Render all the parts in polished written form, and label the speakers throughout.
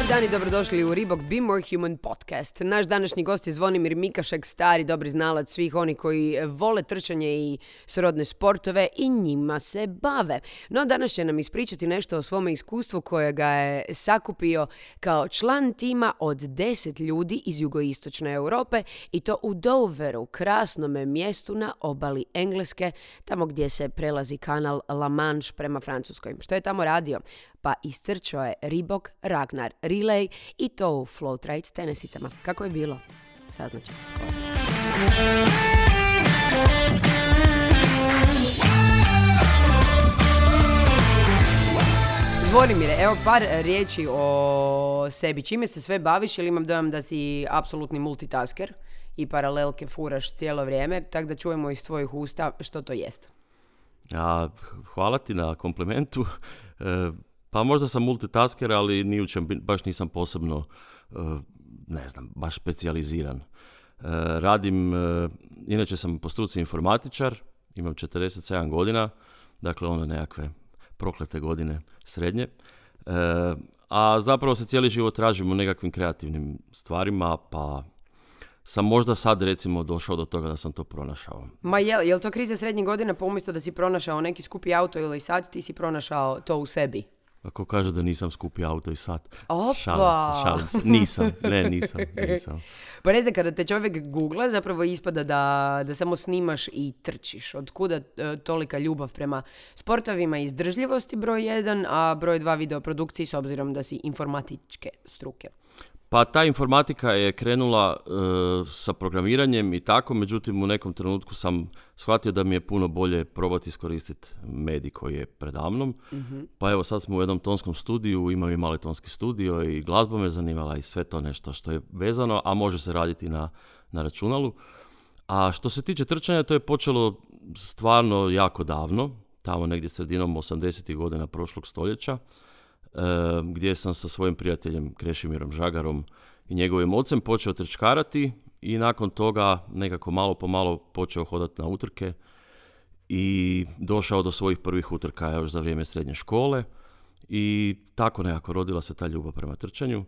Speaker 1: Dobar dan i dobrodošli u Reebok Be More Human podcast. Naš današnji gost je Zvonimir Mikašek, stari dobri znalac svih oni koji vole trčanje i srodne sportove i njima se bave. No danas će nam ispričati nešto o svome iskustvu koje ga je sakupio kao član tima od 10 ljudi iz jugoistočne Europe i to u Doveru, krasnome mjestu na obali Engleske, tamo gdje se prelazi kanal La Manche prema Francuskoj. Što je tamo radio? Pa istrčao je Reebok Ragnar Relay i to u Floatride tenisicama. Kako je bilo? Saznaćemo skoro. Zvonimire, evo par riječi o sebi. Čime se sve baviš, jer imam dojam da si apsolutni multitasker i paralelke furaš cijelo vrijeme, tako da čujemo iz tvojih usta što to jest.
Speaker 2: Hvala ti na komplimentu. Pa možda sam multitasker, ali ni u čem baš nisam posebno, baš specijaliziran. Radim, inače sam po struci informatičar, imam 47 godina, dakle ono nekakve proklete godine srednje. A zapravo se cijeli život tražim u nekakvim kreativnim stvarima, pa sam možda sad recimo došao do toga da sam to pronašao.
Speaker 1: Ma je li to kriza srednjih godina, pa umjesto da si pronašao neki skupi auto ili sad, ti si pronašao to u sebi?
Speaker 2: Ako kaže da nisam skupi auto i sat.
Speaker 1: Opa!
Speaker 2: Šalim se. Nisam.
Speaker 1: Pa ne znam, kada te čovjek googla, zapravo ispada da samo snimaš i trčiš. Od kuda tolika ljubav prema sportovima i izdržljivosti broj 1, a broj 2 videoprodukciji s obzirom da si informatičke struke?
Speaker 2: Pa ta informatika je krenula sa programiranjem i tako, međutim u nekom trenutku sam shvatio da mi je puno bolje probati iskoristiti medij koji je predamnom. Mm-hmm. Pa evo sad smo u jednom tonskom studiju, imam i mali tonski studio i glazba me zanimala i sve to nešto što je vezano, a može se raditi na računalu. A što se tiče trčanja, to je počelo stvarno jako davno, tamo negdje sredinom 80-ih godina prošlog stoljeća, gdje sam sa svojim prijateljem Krešimirom Žagarom i njegovim ocem počeo trčkarati i nakon toga nekako malo po malo počeo hodati na utrke i došao do svojih prvih utrka još za vrijeme srednje škole i tako nekako rodila se ta ljubav prema trčanju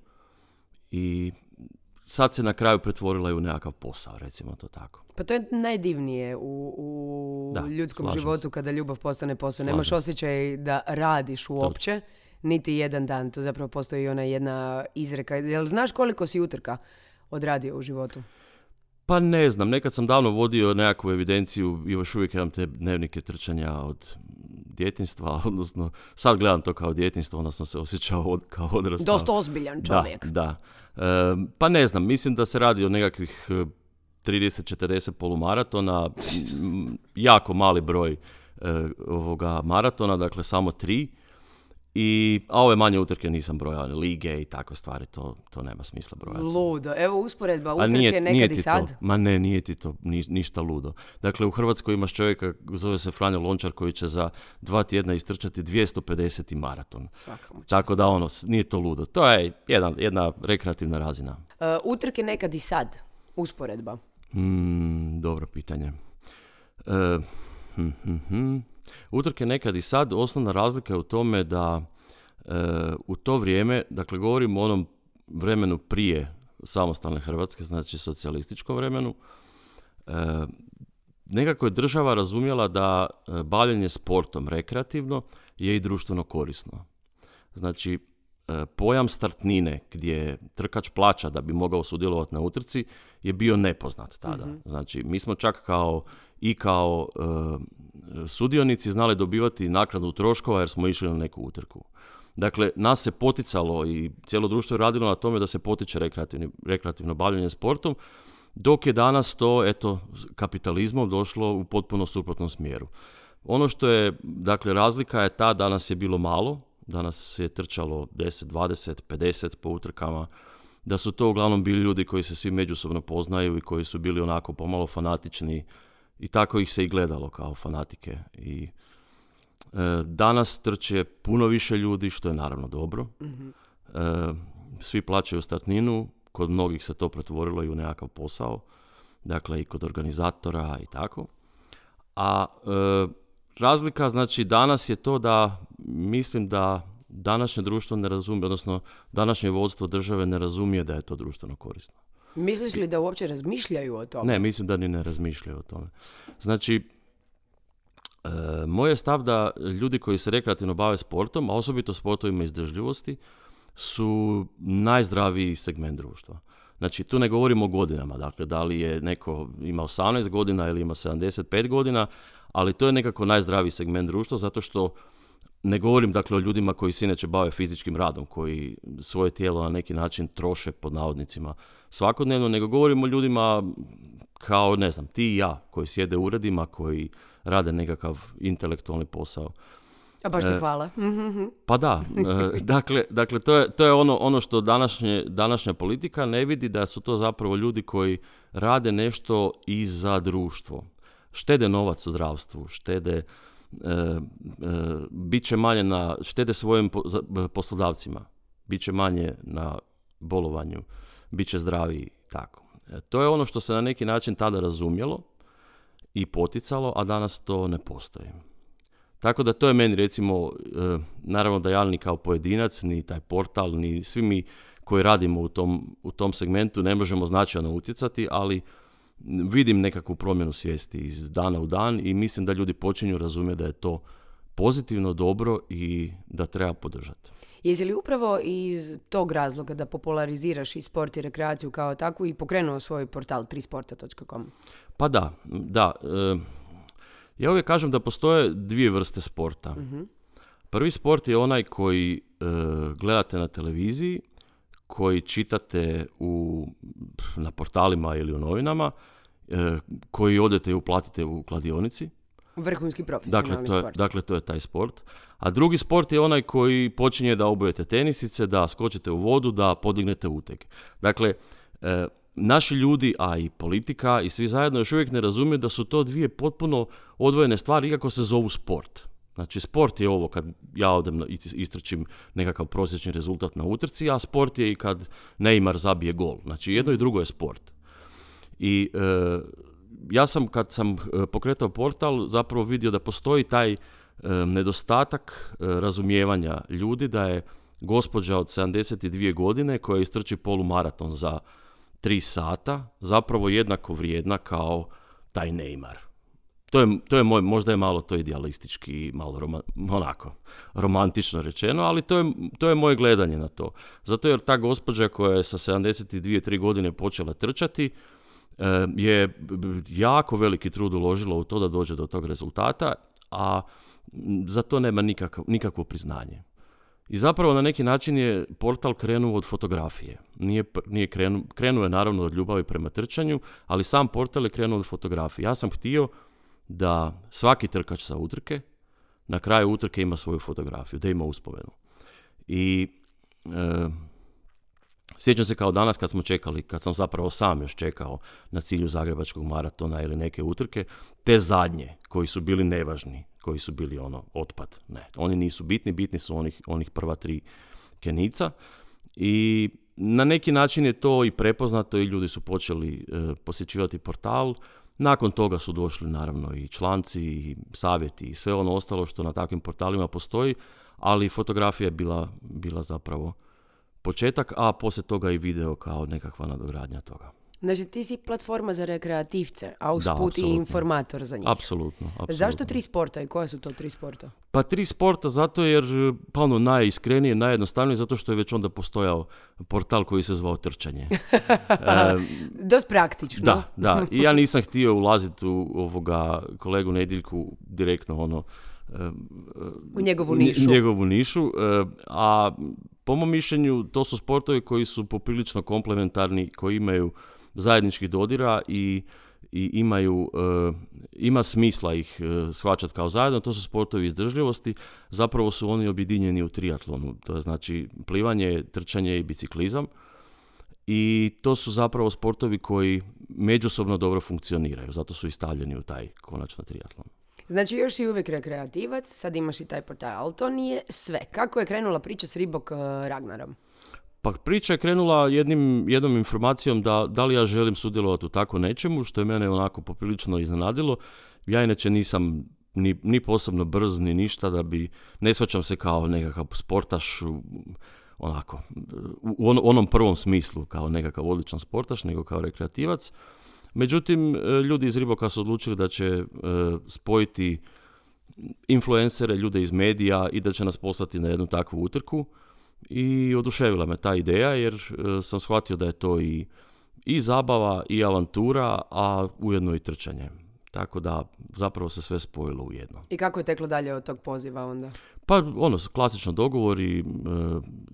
Speaker 2: i sad se na kraju pretvorila i u nekakav posao, recimo to tako.
Speaker 1: Pa to je najdivnije u ljudskom životu kada ljubav postane posao. Nemaš osjećaj da radiš uopće. Niti jedan dan, to zapravo postoji ona jedna izreka. Jel znaš koliko si utrka odradio u životu?
Speaker 2: Pa ne znam, nekad sam davno vodio nekakvu evidenciju i još uvijek imam te dnevnike trčanja od djetinjstva, odnosno sad gledam to kao djetinjstvo, onda sam se osjećao kao odrastao.
Speaker 1: Dosta ozbiljan čovjek.
Speaker 2: Da. Pa ne znam, mislim da se radi o nekakvih 30-40 polumaratona, jako mali broj ovoga maratona, dakle samo 3. A ove manje utrke nisam brojao, lige i takve stvari, to nema smisla brojati.
Speaker 1: Ludo. Evo usporedba utrke nekad i sad.
Speaker 2: Ma ne, nije ti to ništa ludo. Dakle, u Hrvatskoj imaš čovjeka, zove se Franjo Lončar, koji će za 2 tjedna istrčati 250 maraton. Tako da nije to ludo. To je jedna rekreativna razina.
Speaker 1: Utrke nekad i sad, usporedba.
Speaker 2: Dobro pitanje. Utrke nekad i sad, osnovna razlika je u tome da u to vrijeme, dakle govorimo o onom vremenu prije samostalne Hrvatske, znači socijalističkom vremenu, nekako je država razumjela da bavljenje sportom rekreativno je i društveno korisno. Znači, pojam startnine gdje trkač plaća da bi mogao sudjelovati na utrci je bio nepoznat tada. Mm-hmm. Znači, mi smo čak kao sudionici znali dobivati naknadu troškova jer smo išli na neku utrku. Dakle, nas se poticalo i cijelo društvo je radilo na tome da se potiče rekreativno bavljenje sportom, dok je danas to, kapitalizmom došlo u potpuno suprotnom smjeru. Ono što je, dakle, razlika je ta, danas je bilo malo, danas je trčalo 10, 20, 50 po utrkama, da su to uglavnom bili ljudi koji se svi međusobno poznaju i koji su bili onako pomalo fanatični i tako ih se i gledalo kao fanatike. I danas trče puno više ljudi, što je naravno dobro. Mm-hmm. Svi plaćaju startninu, kod mnogih se to pretvorilo i u nekakav posao, dakle i kod organizatora i tako. A razlika, znači, danas je to da mislim da današnje društvo ne razumije, odnosno današnje vodstvo države ne razumije da je to društveno korisno.
Speaker 1: Misliš li da uopće razmišljaju o tome?
Speaker 2: Ne, mislim da ni ne razmišljaju o tome. Znači, moj je stav da ljudi koji se rekreativno bave sportom, a osobito sportovima izdržljivosti, su najzdraviji segment društva. Znači, tu ne govorimo o godinama, dakle, da li je neko ima 18 godina ili ima 75 godina, ali to je nekako najzdraviji segment društva, zato što ne govorim, dakle, o ljudima koji se inače bave fizičkim radom, koji svoje tijelo na neki način troše, pod navodnicima, svakodnevno, nego govorim o ljudima kao, ne znam, ti i ja, koji sjede u uredima, koji rade nekakav intelektualni posao.
Speaker 1: A baš ti hvala.
Speaker 2: Pa da, dakle to je ono što današnja politika ne vidi, da su to zapravo ljudi koji rade nešto i za društvo. Štede novac u zdravstvu, bit će manje štede svojim poslodavcima, bit će manje na bolovanju, bit će zdraviji, tako. To je ono što se na neki način tada razumjelo i poticalo, a danas to ne postoji. Tako da to je meni, recimo, naravno da ja ni kao pojedinac, ni taj portal, ni svi mi koji radimo u tom segmentu ne možemo značajno utjecati, ali vidim nekakvu promjenu svijesti iz dana u dan i mislim da ljudi počinju razumjeti da je to pozitivno, dobro i da treba podržati.
Speaker 1: Jesi li upravo iz tog razloga da populariziraš i sport i rekreaciju kao takvu i pokrenuo svoj portal trisporta.com?
Speaker 2: Pa da. Ja uvijek kažem da postoje dvije vrste sporta. Prvi sport je onaj koji gledate na televiziji, koji čitate na portalima ili u novinama, koji odete i uplatite u kladionici.
Speaker 1: Vrhunski profesionalni sport.
Speaker 2: Dakle, to je taj sport. A drugi sport je onaj koji počinje da obujete tenisice, da skočite u vodu, da podignete uteg. Dakle, naši ljudi, a i politika i svi zajedno još uvijek ne razumiju da su to dvije potpuno odvojene stvari, iako se zovu sport. Znači, sport je ovo kad ja odem istrčim nekakav prosječni rezultat na utrci, a sport je i kad Neymar zabije gol. Znači, jedno i drugo je sport. I ja sam, kad sam pokretao portal, zapravo vidio da postoji taj nedostatak razumijevanja ljudi, da je gospođa od 72 godine koja istrči polumaraton za 3 sata zapravo jednako vrijedna kao taj Neymar. To je možda je malo to idealistički, malo romantično rečeno, ali to je moje gledanje na to. Zato jer ta gospođa koja je sa 72-3 godine počela trčati je jako veliki trud uložila u to da dođe do tog rezultata, a za to nema nikakvo priznanje. I zapravo na neki način je portal krenuo od fotografije. Krenuo je naravno od ljubavi prema trčanju, ali sam portal je krenuo od fotografije. Ja sam htio da svaki trkač sa utrke na kraju utrke ima svoju fotografiju, da ima uspomenu. I sjećam se kao danas kad smo čekali, kad sam zapravo sam još čekao na cilju Zagrebačkog maratona ili neke utrke, te zadnje koji su bili nevažni, koji su bili otpad. Ne, oni nisu bitni su onih prva 3 Kenijca. I na neki način je to i prepoznato i ljudi su počeli posjećivati portal. Nakon toga su došli naravno i članci, i savjeti i sve ono ostalo što na takvim portalima postoji, ali fotografija je bila zapravo početak, a poslije toga i video kao nekakva nadogradnja toga.
Speaker 1: Znači ti si platforma za rekreativce, a usput i informator za njih.
Speaker 2: Apsolutno.
Speaker 1: Zašto 3 sporta i koja su to 3 sporta?
Speaker 2: Pa 3 sporta zato jer najiskrenije, najjednostavnije, zato što je već onda postojao portal koji se zvao Trčanje.
Speaker 1: Dost praktično.
Speaker 2: Da. I ja nisam htio ulaziti u kolegu Nediljku direktno
Speaker 1: u njegovu nišu.
Speaker 2: A po mom mišljenju to su sportovi koji su poprilično komplementarni, koji imaju zajedničkih dodira i ima smisla ih shvaćati kao zajedno. To su sportovi izdržljivosti, zapravo su oni objedinjeni u triatlonu, to je znači plivanje, trčanje i biciklizam, i to su zapravo sportovi koji međusobno dobro funkcioniraju, zato su i stavljeni u taj konačno triatlon.
Speaker 1: Znači još si uvijek rekreativac, sad imaš i taj portal, ali to nije sve. Kako je krenula priča s Reebok Ragnarom?
Speaker 2: Pa priča je krenula jednom informacijom da li ja želim sudjelovati u tako nečemu, što je mene onako poprilično iznenadilo. Ja inače nisam ni posebno brz, ni ništa, da bi, ne shvaćam se kao nekakav sportaš, onako, u onom prvom smislu, kao nekakav odličan sportaš, nego kao rekreativac. Međutim, ljudi iz Reeboka su odlučili da će spojiti influencere, ljude iz medija i da će nas poslati na jednu takvu utrku. I oduševila me ta ideja, jer sam shvatio da je to i zabava, i avantura, a ujedno i trčanje. Tako da zapravo se sve spojilo u jedno.
Speaker 1: I kako je teklo dalje od tog poziva onda?
Speaker 2: Pa klasično dogovor i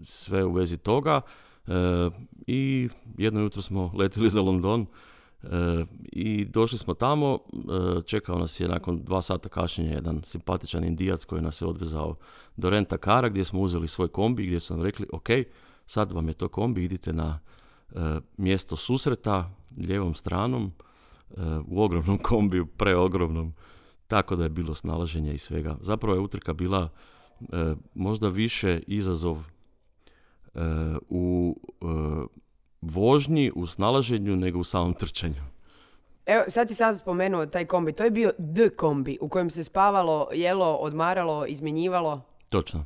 Speaker 2: sve u vezi toga. I jedno jutro smo letili za London i došli smo tamo. Čekao nas je nakon 2 sata kašnjenja jedan simpatičan Indijac koji nas je odvezao do rent-a-kara, gdje smo uzeli svoj kombi, gdje su nam rekli, ok, sad vam je to kombi, idite na mjesto susreta lijevom stranom, u ogromnom kombiju, preogromnom, tako da je bilo snalaženja i svega. Zapravo je utrka bila možda više izazov u vožnji, u snalaženju, nego u samom trčanju.
Speaker 1: Evo, sad si sad spomenuo taj kombi. To je bio kombi u kojem se spavalo, jelo, odmaralo, izmjenjivalo.
Speaker 2: Točno.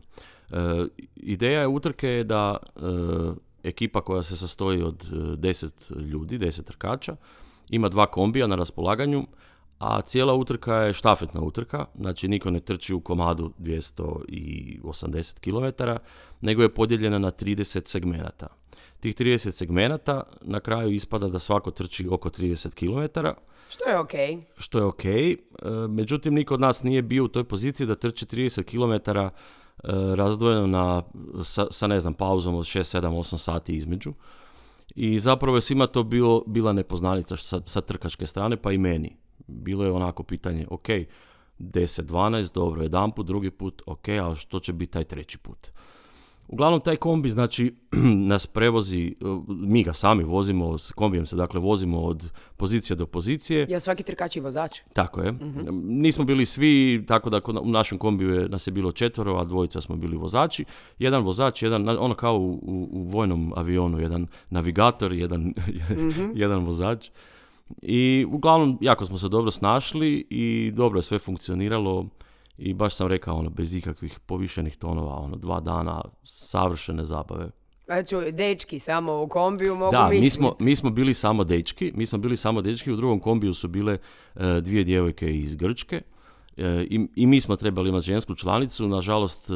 Speaker 2: Ideja utrke je da ekipa koja se sastoji od 10 ljudi, 10 trkača, ima 2 kombija na raspolaganju, a cijela utrka je štafetna utrka, znači niko ne trči u komadu 280 km, nego je podijeljena na 30 segmenata. Tih 30 segmenata na kraju ispada da svako trči oko 30 km. Što je ok. Međutim, niko od nas nije bio u toj poziciji da trči 30 km razdvojeno sa ne znam, pauzom od 6, 7, 8 sati između. I zapravo je svima to bila nepoznanica sa trkačke strane, pa i meni. Bilo je onako pitanje, ok, 10, 12, dobro, jedan put, drugi put, ok, ali što će biti taj treći put? Uglavnom, taj kombi, znači, nas prevozi, mi ga sami vozimo, s kombijem se dakle vozimo od pozicije do pozicije.
Speaker 1: Ja svaki trkač i vozač?
Speaker 2: Tako je. Nismo bili svi, tako da u našem kombiju nas je bilo 4, a 2 smo bili vozači. Jedan vozač, ono kao u vojnom avionu, jedan navigator, jedan vozač. I uglavnom, jako smo se dobro snašli i dobro je sve funkcioniralo. I baš sam rekao, bez ikakvih povišenih tonova, 2 dana savršene zabave.
Speaker 1: Znači, dečki samo u kombiju mogu misliti.
Speaker 2: Da, mi smo bili samo dečki, u drugom kombiju su bile 2 djevojke iz Grčke i mi smo trebali imati žensku članicu. Nažalost,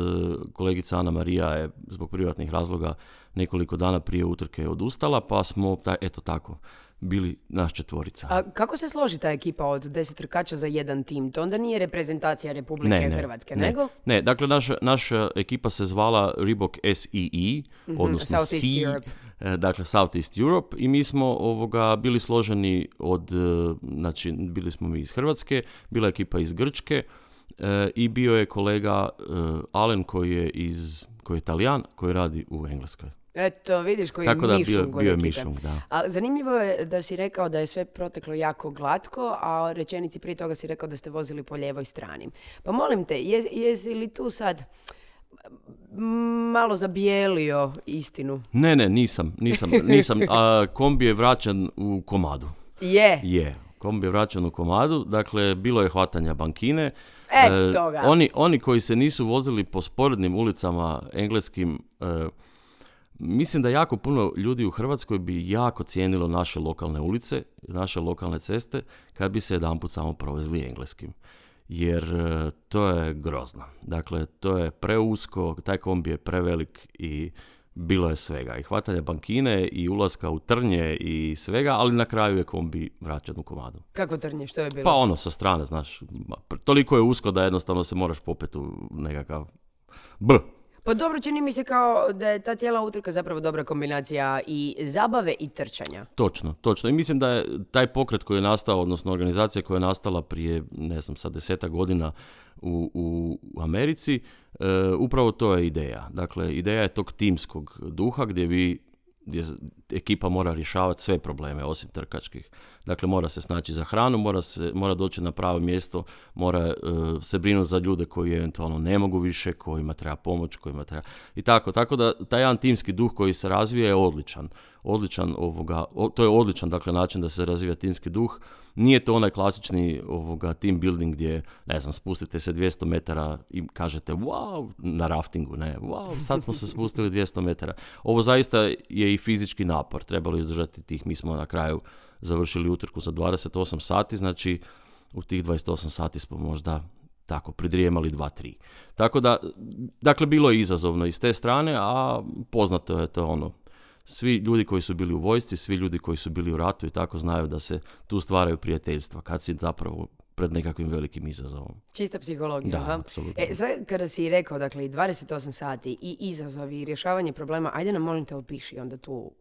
Speaker 2: kolegica Ana Marija je zbog privatnih razloga nekoliko dana prije utrke odustala, pa smo, tako, bili naš 4.
Speaker 1: A kako se složi ta ekipa od 10 trkača za jedan tim? To onda nije reprezentacija Republike Hrvatske, nego?
Speaker 2: Ne, dakle naša ekipa se zvala Reebok SEE, odnosno
Speaker 1: Southeast Europe.
Speaker 2: Dakle Southeast Europe, i mi smo bili složeni znači bili smo mi iz Hrvatske, bila je ekipa iz Grčke i bio je kolega Alen koji je Talijan, koji radi u Engleskoj.
Speaker 1: Eto, vidiš koji je mišung od ekipe. A zanimljivo je da si rekao da je sve proteklo jako glatko, a rečenici prije toga si rekao da ste vozili po lijevoj strani. Pa molim te, jesi li tu sad malo zabijelio istinu?
Speaker 2: Ne, nisam. Kombi je vraćan u komadu. Je. Kombi je vraćan u komadu, dakle, bilo je hvatanja bankine. Oni koji se nisu vozili po sporednim ulicama engleskim, mislim da jako puno ljudi u Hrvatskoj bi jako cijenilo naše lokalne ulice, naše lokalne ceste, kad bi se jedanput samo provezli engleskim. Jer to je grozno. Dakle, to je preusko, taj kombi je prevelik i bilo je svega. I hvatanja bankine i ulaska u trnje i svega, ali na kraju je kombi vraćan u komadu.
Speaker 1: Kako trnje? Što je bilo?
Speaker 2: Pa sa strane, znaš. Toliko je usko da jednostavno se moraš popeti u nekakav
Speaker 1: Pa dobro, čini mi se kao da je ta cijela utrka zapravo dobra kombinacija i zabave i trčanja.
Speaker 2: Točno. I mislim da je taj pokret koji je nastao, odnosno organizacija koja je nastala prije, 10 godina u Americi, upravo to je ideja. Dakle, ideja je tog timskog duha gdje ekipa mora rješavati sve probleme osim trkačkih. Dakle, mora se snaći za hranu, mora doći na pravo mjesto, mora se brinuti za ljude koji eventualno ne mogu više, kojima treba pomoć, kojima treba... I tako da taj jedan timski duh koji se razvija je odličan. To je odličan, dakle, način da se razvija timski duh. Nije to onaj klasični team building gdje, ne znam, spustite se 200 metara i kažete wow, na raftingu, ne, wow, sad smo se spustili 200 metara. Ovo zaista je i fizički napor, trebalo izdržati tih, mi smo na kraju završili utrku za 28 sati, znači u tih 28 sati smo možda tako pridrijemali 2-3. Tako da, dakle, bilo je izazovno i s te strane, a poznato je to ono, svi ljudi koji su bili u vojsci, svi ljudi koji su bili u ratu i tako znaju da se tu stvaraju prijateljstva kad si zapravo pred nekakvim velikim izazovom.
Speaker 1: Čista psihologija.
Speaker 2: Da, apsolutno.
Speaker 1: Sve kada si rekao, dakle, 28 sati i izazovi i rješavanje problema, ajde nam molim te opiši onda tu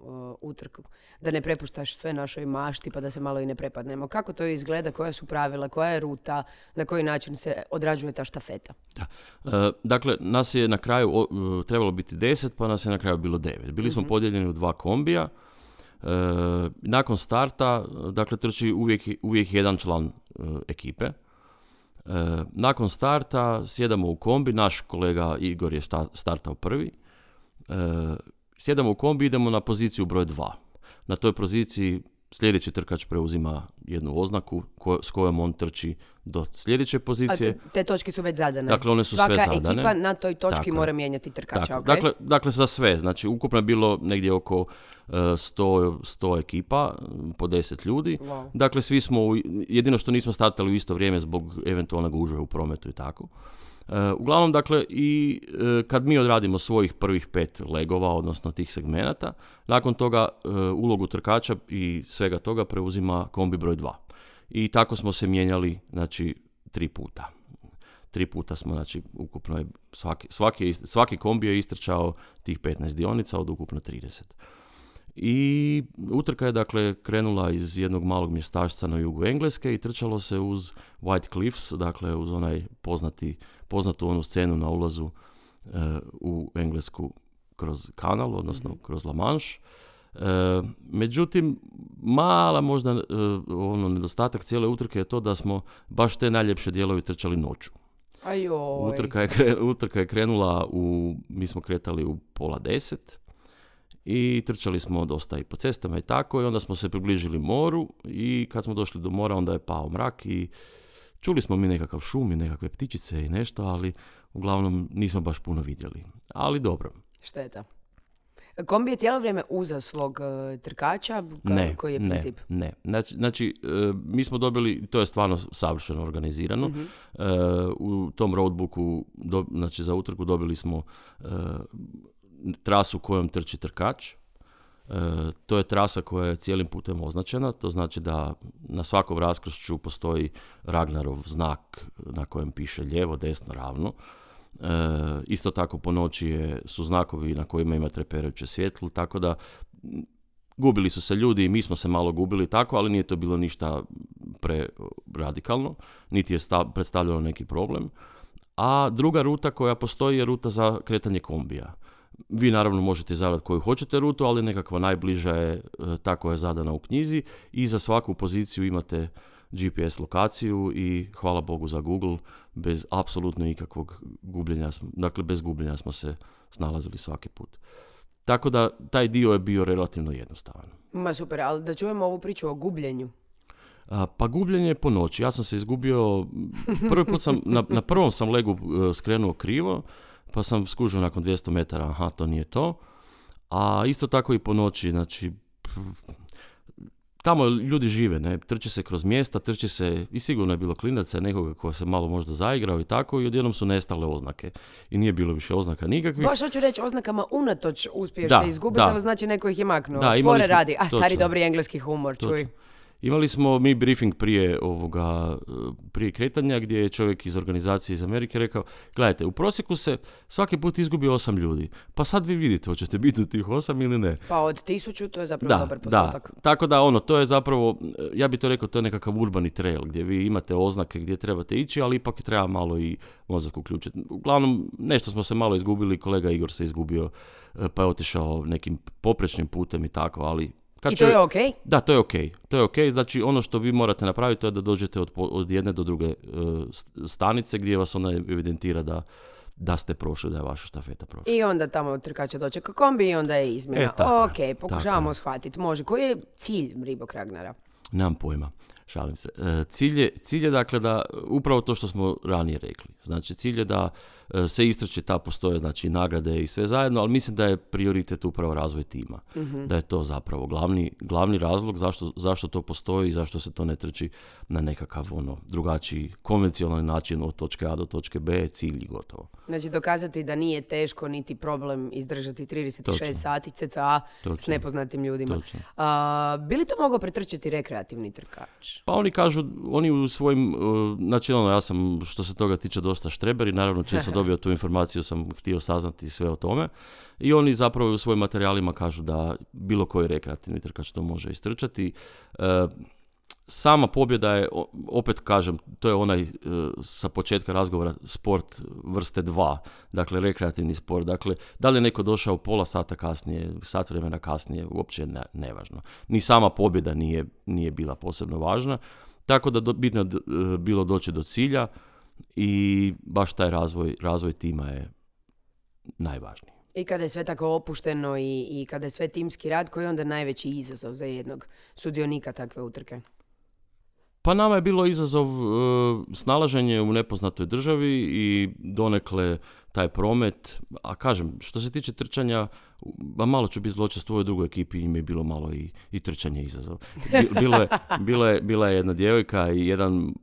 Speaker 1: utrku, da ne prepuštaš sve našoj mašti pa da se malo i ne prepadnemo. Kako to izgleda, koja su pravila, koja je ruta, na koji način se odrađuje ta štafeta?
Speaker 2: Da. Dakle, nas je na kraju trebalo biti 10, pa nas je na kraju bilo 9. Bili smo podijeljeni u 2 kombija. Nakon starta, dakle, trči uvijek jedan član ekipe. Nakon starta sjedamo u kombi, naš kolega Igor je startao prvi. Sjedamo u kombi, idemo na poziciju broj 2. Na toj poziciji sljedeći trkač preuzima jednu oznaku s kojom on trči do sljedeće pozicije.
Speaker 1: A te točke su već zadane.
Speaker 2: Dakle, one su
Speaker 1: svaka
Speaker 2: sve zadane.
Speaker 1: Ekipa na toj točki mora mijenjati trkača.
Speaker 2: Okay? Dakle, za sve. Znači, ukupno je bilo negdje oko 100 ekipa, po 10 ljudi.
Speaker 1: Wow.
Speaker 2: Dakle, svi smo, jedino što nismo startali u isto vrijeme zbog eventualnog gužve u prometu i tako. Uglavnom, dakle, i kad mi odradimo svojih prvih 5 legova, odnosno tih segmenata, nakon toga ulogu trkača i svega toga preuzima kombi broj 2. I tako smo se mijenjali, znači, 3 puta. 3 puta smo, znači, ukupno je svaki kombi je istrčao tih 15 dionica od ukupno 30. I utrka je, dakle, krenula iz jednog malog mjestašca na jugu Engleske i trčalo se uz White Cliffs, dakle uz onaj poznatu onu scenu na ulazu u Englesku kroz kanal, odnosno kroz La Manche. Međutim, mala možda nedostatak cijele utrke je to da smo baš te najljepše dijelovi trčali noću.
Speaker 1: Ajoj.
Speaker 2: Utrka je krenula mi smo kretali u 9:30 i trčali smo dosta i po cestama i tako, i onda smo se približili moru i kad smo došli do mora onda je pao mrak i čuli smo mi nekakav šum i nekakve ptičice i nešto, ali uglavnom nismo baš puno vidjeli. Ali dobro.
Speaker 1: Šteta. Kombi je cijelo vrijeme uza svog trkača? Koji je princip?
Speaker 2: Ne. Znači, mi smo dobili, to je stvarno savršeno organizirano. U tom roadbooku, znači za utrku dobili smo trasu kojom trči trkač. To je trasa koja je cijelim putem označena, to znači da na svakom raskršću postoji Ragnarov znak na kojem piše lijevo, desno, ravno. Isto tako po noći su znakovi na kojima ima treperajuće svjetlo, tako da gubili su se ljudi i mi smo se malo gubili tako, ali nije to bilo ništa preradikalno, niti je predstavljalo neki problem. A druga ruta koja postoji je ruta za kretanje kombija. Vi naravno možete izabrati koju hoćete rutu, ali nekakva najbliža je ta koja je zadana u knjizi i za svaku poziciju imate GPS lokaciju i hvala Bogu za Google, bez apsolutno ikakvog gubljenja, dakle bez gubljenja smo se snalazili svaki put. Tako da taj dio je bio relativno jednostavan.
Speaker 1: Ma super, ali da čujemo ovu priču o gubljenju.
Speaker 2: Pa gubljenje je po noći. Ja sam se izgubio, prvi put sam, na prvom sam legu skrenuo krivo, pa sam skužio nakon 200 metara, aha, to nije to. A isto tako i po noći, znači, tamo ljudi žive, ne, trči se kroz mjesta, trči se, i sigurno je bilo klinaca, nekoga ko se malo možda zaigrao i tako, i odjednom su nestale oznake. I nije bilo više oznaka nikakvih.
Speaker 1: Baš hoću reći, oznakama unatoč uspiješ se izgubiti, ali znači neko ih je maknuo. Fore radi, stari dobri engleski humor, čuj.
Speaker 2: Imali smo mi briefing prije kretanja gdje je čovjek iz organizacije iz Amerike rekao, gledajte, u prosjeku se svaki put izgubi 8 ljudi, pa sad vi vidite hoćete biti u tih 8 ili ne.
Speaker 1: Pa od 1000 to je zapravo dobar postotak.
Speaker 2: Da. Tako da to je zapravo, ja bih to rekao, to je nekakav urbani trail gdje vi imate oznake gdje trebate ići, ali ipak treba malo i mozak uključiti. Uglavnom, nešto smo se malo izgubili, kolega Igor se izgubio, pa je otišao nekim poprečnim putem i tako, ali
Speaker 1: I to je okej?
Speaker 2: Da, to je okej. To je okej. Znači, ono što vi morate napraviti to je da dođete od jedne do druge stanice gdje vas ona evidentira da ste prošli, da je vaša štafeta prošla.
Speaker 1: I onda tamo trkača dočeka kombi i onda je izmjena. Ok, pokušavamo shvatiti. Može. Koji je cilj Reebok Ragnara?
Speaker 2: Nemam pojma, šalim se. Cilj je dakle da, upravo to što smo ranije rekli, znači cilj je da se istrče, ta postoje znači nagrade i sve zajedno, ali mislim da je prioritet upravo razvoj tima. Mm-hmm. Da je to zapravo glavni razlog zašto to postoji i zašto se to ne trči na nekakav drugačiji konvencionalni način od točke A do točke B, cilj i gotovo.
Speaker 1: Znači dokazati da nije teško niti problem izdržati 36 sati cca s nepoznatim ljudima. Bi li to mogao pretrčati rekreativni trkač?
Speaker 2: Pa oni u svojim, znači ja sam što se toga tiče dosta štreber i naravno čim sam dobio tu informaciju sam htio saznati sve o tome i oni zapravo u svojim materijalima kažu da bilo koji rekreativni trkač to može istrčati. Sama pobjeda je, opet kažem, to je onaj sa početka razgovora sport vrste 2, dakle rekreativni sport. Dakle, da li je neko došao pola sata kasnije, sat vremena kasnije, uopće nevažno. Ni sama pobjeda nije bila posebno važna, tako da bitno je bilo doći do cilja i baš taj razvoj tima je najvažniji.
Speaker 1: I kada je sve tako opušteno i kada je sve timski rad, koji je onda najveći izazov za jednog sudionika takve utrke?
Speaker 2: Pa nama je bilo izazov snalaženje u nepoznatoj državi i donekle taj promet, a kažem, što se tiče trčanja, malo ću biti zločest u ovoj drugoj ekipi, im je bilo malo i trčanje izazov. Bila je jedna djevojka i jedan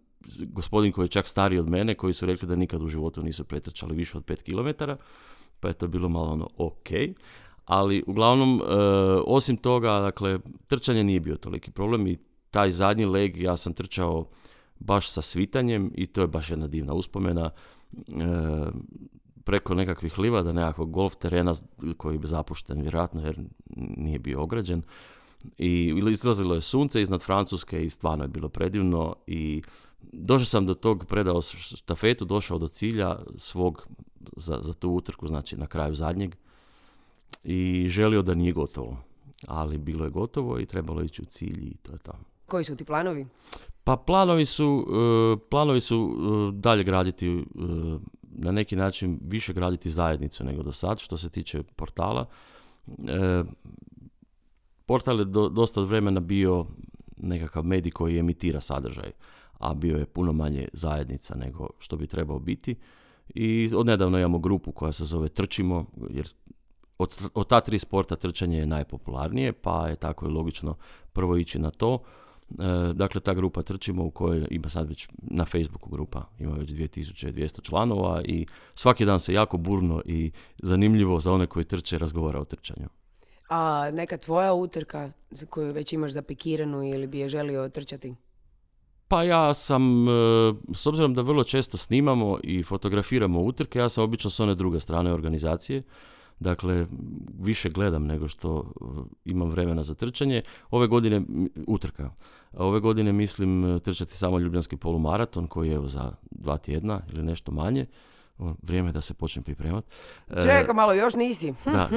Speaker 2: gospodin koji je čak stariji od mene, koji su rekli da nikad u životu nisu pretrčali više od 5 km, pa je to bilo malo ok. Ali uglavnom, osim toga, dakle, trčanje nije bio toliki problem i taj zadnji leg ja sam trčao baš sa svitanjem i to je baš jedna divna uspomena. Preko nekakvih livada, nekakvog golf terena koji je zapušten vjerojatno jer nije bio ograđen. I izlazilo je sunce iznad Francuske i stvarno je bilo predivno i došao sam do tog, predao štafetu, došao do cilja svog za tu utrku, znači na kraju zadnjeg i želio da nije gotovo. Ali bilo je gotovo i trebalo ići u cilj i to je to.
Speaker 1: Koji su ti planovi?
Speaker 2: Pa planovi su dalje graditi, na neki način više graditi zajednicu nego do sad, što se tiče portala. Portal je dosta vremena bio nekakav medij koji emitira sadržaj, a bio je puno manje zajednica nego što bi trebao biti. I odnedavno imamo grupu koja se zove Trčimo, jer od ta 3 sporta trčanje je najpopularnije, pa je tako i logično prvo ići na to. Dakle, ta grupa Trčimo u kojoj ima sad već na Facebooku grupa, ima već 2200 članova i svaki dan se jako burno i zanimljivo za one koji trče razgovara o trčanju.
Speaker 1: A neka tvoja utrka za koju već imaš zapikiranu ili bi je želio trčati?
Speaker 2: Pa ja sam, s obzirom da vrlo često snimamo i fotografiramo utrke, ja sam obično s one druge strane organizacije. Dakle, više gledam nego što imam vremena za trčanje. Ove godine mislim trčati samo Ljubljanski polumaraton koji je za 2 tjedna ili nešto manje. Vrijeme da se počnem pripremati.
Speaker 1: Čeka malo, još nisi.
Speaker 2: Da.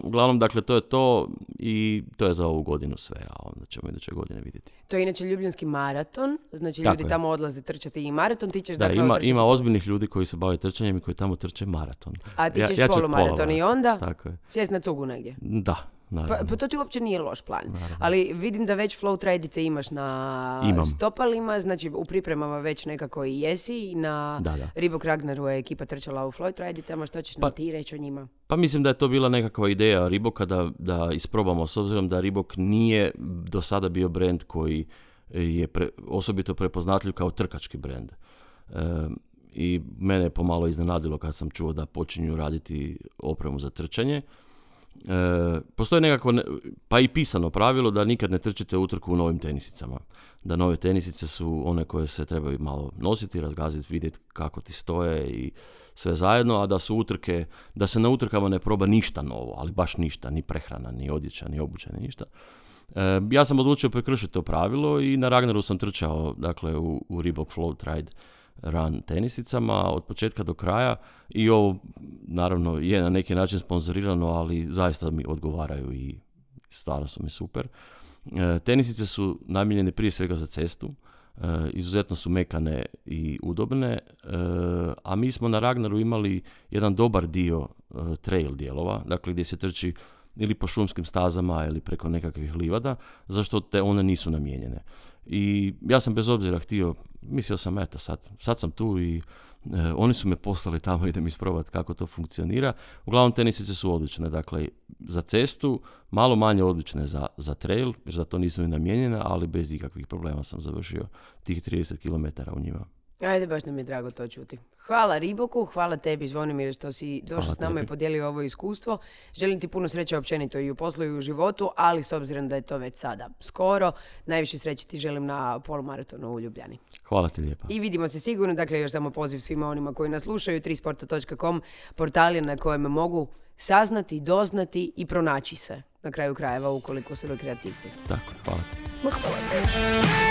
Speaker 2: Uglavnom, dakle, to je to i to je za ovu godinu sve, a onda ćemo iduće godine vidjeti.
Speaker 1: To je inače Ljubljanski maraton, znači ljudi tamo odlaze trčati i maraton, ti ćeš
Speaker 2: ima ozbiljnih ljudi koji se bave trčanjem i koji tamo trče maraton.
Speaker 1: A ti ćeš polumaraton i onda sjest na cugu negdje?
Speaker 2: Da.
Speaker 1: Pa to ti uopće nije loš plan. Naravno. Ali vidim da već flow trajdice imaš na stopalima, znači u pripremama već nekako i jesi. Na Reebok Ragnaru je ekipa trčala u flow trajdicama, što ćeš nam ti reći o njima?
Speaker 2: Pa mislim da je to bila nekakva ideja Reeboka da isprobamo, s obzirom da Reebok nije do sada bio brend koji je osobito prepoznatljiv kao trkački brend. I mene je pomalo iznenadilo kad sam čuo da počinju raditi opremu za trčanje. Postoji nekako, pa i pisano pravilo da nikad ne trčite utrku u novim tenisicama. Da nove tenisice su one koje se trebaju malo nositi, razgaziti, vidjeti kako ti stoje i sve zajedno, a da su utrke, da se na utrkama ne proba ništa novo, ali baš ništa, ni prehrana, ni odjeća, ni obuća, ni ništa. Ja sam odlučio prekršiti to pravilo i na Ragnaru sam trčao, dakle, u Reebok Flow Tride Run tenisicama od početka do kraja i ovo naravno je na neki način sponzorirano, ali zaista mi odgovaraju i stvarno su mi super. Tenisice su namijenjene prije svega za cestu, izuzetno su mekane i udobne, a mi smo na Ragnaru imali jedan dobar dio trail dijelova, dakle gdje se trči ili po šumskim stazama ili preko nekakvih livada, zašto te one nisu namijenjene. I ja sam bez obzira mislio sam eto sad sam tu i oni su me poslali tamo, idem isprobati kako to funkcionira. Uglavnom tenisice su odlične, dakle za cestu, malo manje odlične za trail, jer za to nisu ni namijenjene, ali bez ikakvih problema sam završio tih 30 km u njima.
Speaker 1: Ajde, baš nam je drago to čuti. Hvala Reeboku, hvala tebi Zvonimir što si došao s nama i podijelio ovo iskustvo. Želim ti puno sreće općenito i u poslu i u životu, ali s obzirom da je to već sada skoro, najviše sreće ti želim na polumaratonu u Ljubljani.
Speaker 2: Hvala ti lijepa.
Speaker 1: I vidimo se sigurno, dakle još samo poziv svima onima koji nas slušaju, 3sporta.com, portal na kojem mogu saznati, doznati i pronaći se na kraju krajeva ukoliko su rekreativci.
Speaker 2: Tako, hvala ti.
Speaker 1: Hvala.